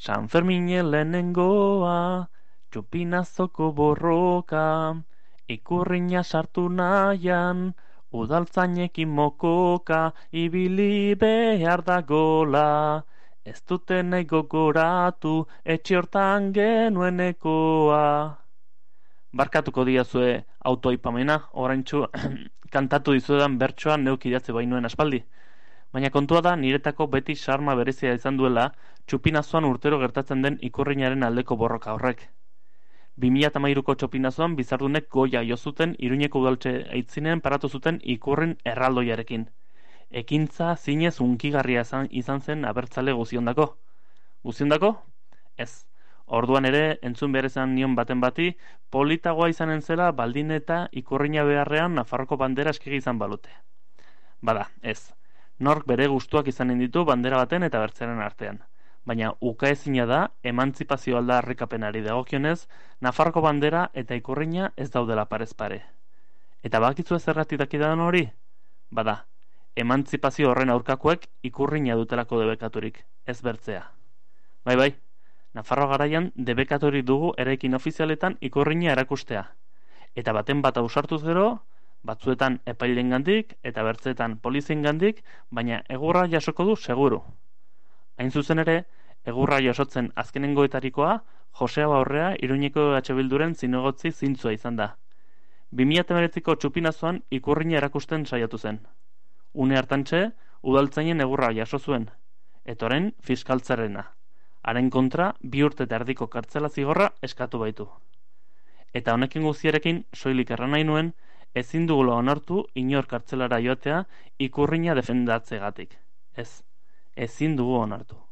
San Fermine lehenengoa, txupinazoko borroka, ikurrina sartu nahian, udaltzainekin mokoka, ibili behar da gola. Ez dute nahi gogoratu, etxe hortan genuenekoa. Barkatuko diazue autoaipamena, oraintxu kantatu dizuedan bertsoa neuk idatzi bainuen aspaldi. Baina kontua da niretako beti sarma berezia izan duela txupinazoan urtero gertatzen den ikurrinaren aldeko borroka horrek. 2013ko txupinazoan bizardunek goia jo zuten Iruñeko udaltze aitzinen paratu zuten ikurrin erraldoiarekin. Ekintza zinez unkigarria izan zen abertzale guziondako. Guziondako? Ez. Orduan ere, entzun behar izan nion baten bati, politagoa izanen zela baldin eta ikurrina beharrean Nafarroko bandera eskegi izan balute. Bada, ez. Nork bere gustuak izanen ditu bandera baten eta bertzeren artean. Baina ukaezina da, emantzipazio aldarrikapenari dagokionez, Nafarroko bandera eta ikurrina ez daudela parez pare. Eta bakizu zergatik dakidan hori? Bada, emantzipazio horren aurkakoek ikurrina dutelako debekaturik, ez bertzea. Bai, Nafarro garaian debekaturik dugu eraikin ofizialetan ikurrina erakustea. Eta baten bat ausartuz gero, batzuetan epailengandik eta bertzeetan poliziengandik, baina egurra jasoko du seguru. Hain zuzen ere, egurra jasotzen azkenengoetarikoa, Josea Baurrea Iruñeko EH Bilduren zinegotzi zintzua izan da. 2019ko txupinazoan ikurrina erakusten saiatu zen. Une hartantxe, udaltzainen egurra jaso zuen, eta orain fiskaltzarena. Haren kontra 2 urte eta erdiko kartzela zigorra eskatu baitu. Eta honekin guztiarekin soilik erran nahi nuen, ezin dugula onartu inor kartzelara joatea ikurrina defendatzegatik. Ez, ezin dugu onartu.